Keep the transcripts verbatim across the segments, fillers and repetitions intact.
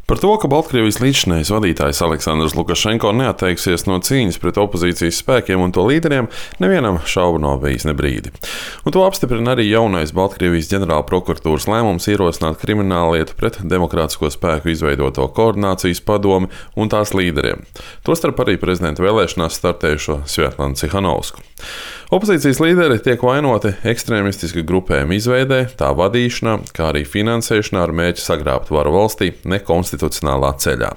Par to, ka Baltkrievijas līdzšinējais vadītājs Aleksandrs Lukašenko neatteiksies no cīņas pret opozīcijas spēkiem un to līderiem, nevienam šaubu nav bijis ne brīdi. Un to apstiprina arī jaunais Baltkrievijas ģenerāla prokuratūras lēmums ierosināt krimināllietu pret demokrātisko spēku izveidoto koordinācijas padomi un tās līderiem. Tostarp arī prezidenta vēlēšanās startējušo Svjatlanu Cihanovsku. Opozīcijas līderi tiek vainoti ekstrēmistiska grupējuma izveidē, tā vadīšanā, kā arī finansēšanā ar mērķi sagrābt varu valstī nekonstitucionālā ceļā.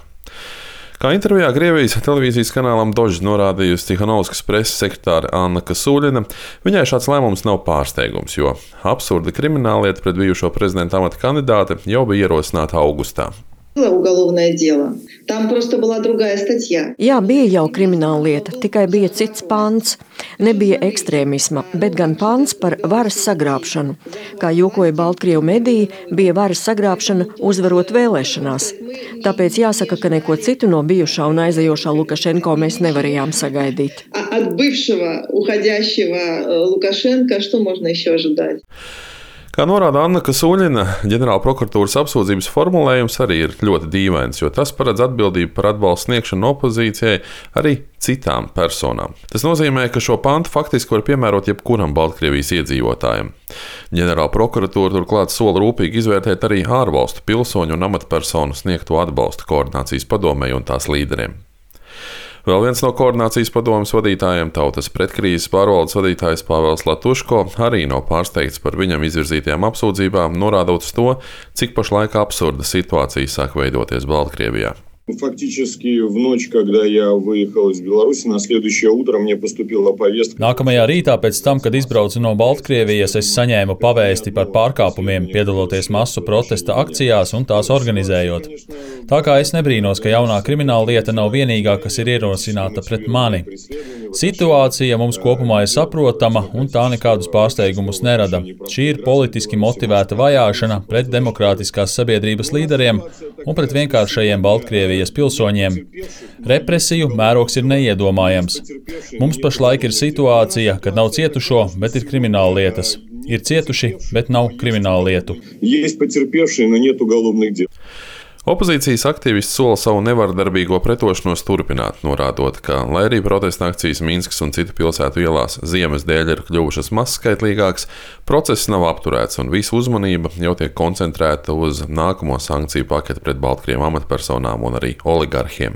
Kā intervijā Krievijas televīzijas kanālam Dožd norādījusi Cihanovskas preses sekretāre Anna Kasuļina, viņai šāds lēmums nav pārsteigums, jo absurda krimināllieta pret bijušo prezidenta amata kandidāti jau bija ierosināta augustā. Уголовное дело. Там просто была другая статья. Jā, bija jau krimināla lieta, tikai bija cits pants. Nebija ekstrēmisma, bet gan pants par varas sagrābšanu. Kā jokoja Baltkrievu mediji, bija varas sagrābšana uzvarot vēlēšanās. Tāpēc jāsaka, ka neko citu no bijušā un aizejošā Lukašenko mēs nevarējām sagaidīt. От бывшего, уходящего Лукашенко, что можно еще ожидать? Kā norāda Anna Kasuļina, ģenerāla prokuratūras apsūdzības formulējums arī ir ļoti dīvains, jo tas paredz atbildību par atbalstu sniegšanu opozīcijai arī citām personām. Tas nozīmē, ka šo pantu faktiski var piemērot jebkuram Baltkrievijas iedzīvotājam. Ģenerāla prokuratūra turklāt sola rūpīgi izvērtēt arī ārvalstu pilsoņu un amatpersonu sniegto atbalstu koordinācijas padomei un tās līderiem. Vēl viens no koordinācijas padomes vadītājiem, Tautas pretkrīzes pārvaldes vadītājs Pāvels Latuško, arī nav pārsteigts par viņam izvirzītajām apsūdzībām, norādot uz to, cik pašlaik absurda situācija sāk veidoties Baltkrievijā. Фактически в ночь, когда я выехал из Беларуси, на следующее утро мне поступила повестка. Nākamajā rītā pēc tam, kad izbraucu no Baltkrievijas, es saņēmu pavēsti par pārkāpumiem, piedaloties masu protesta akcijās un tās organizējot. Tā kā es nebrīnos, ka jaunā krimināla lieta nav vienīgā, kas ir ierosināta pret mani. Situācija mums kopumā ir saprotama un tā nekādus pārsteigumus nerada. Šī ir politiski motivēta vajāšana pret demokrātiskās sabiedrības līderiem un pret vienkāršajiem Baltkrievijas pilsoņiem. Represiju mērogs ir neiedomājams. Mums pašlaik ir situācija, kad nav cietušo, bet ir krimināla lietas. Ir cietuši, bet nav krimināla lietu. Opozīcijas aktīvisti sola savu nevardarbīgo pretošanos turpināt, norādot, ka, lai arī protesta akcijas Minskas un citu pilsētu ielās ziemas dēļ ir kļuvušas mazskaitlīgākas, process nav apturēts un visa uzmanība jau tiek koncentrēta uz nākamo sankciju paketi pret Baltkrievu amatpersonām un arī oligarhiem.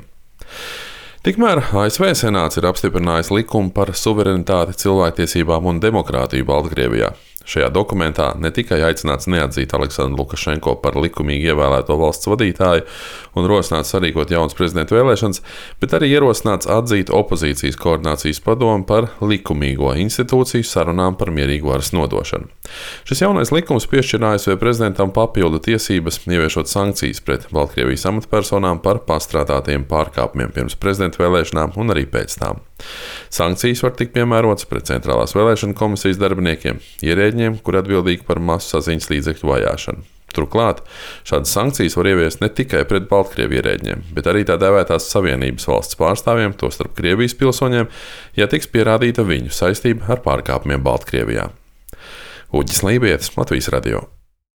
Tikmēr A S V senāts ir apstiprinājis likumu par suverenitāti, cilvēktiesībām un demokrātiju Baltkrievijā. Šajā dokumentā ne tikai aicināts neatzīt Aleksandru Lukašenko par likumīgi ievēlēto valsts vadītāju un rosināts sarīkot jaunas prezidenta vēlēšanas, bet arī ierosināts atzīt opozīcijas koordinācijas padomu par likumīgo institūciju sarunām par mierīgu varas nodošanu. Šis jaunais likums piešķir A S V prezidentam papildu tiesības, ieviešot sankcijas pret Baltkrievijas amatpersonām par pastrādātiem pārkāpumiem pirms prezidenta vēlēšanām un arī pēc tām. Sankcijas var tikt piemērotas pret Centrālās vēlēšana komisijas darbiniekiem, ierēģiem, kur atbildīgi par masu saziņas līdzekļu vajāšanu. Turklāt, šādas sankcijas var ieviest ne tikai pret Baltkrievu ierēģiem, bet arī tā dēvētās Savienības valsts pārstāvjiem, tostarp Krievijas pilsoņiem, ja tiks pierādīta viņu saistība ar pārkāpumiem Baltkrievijā. Uģis Lībietis, Latvijas radio.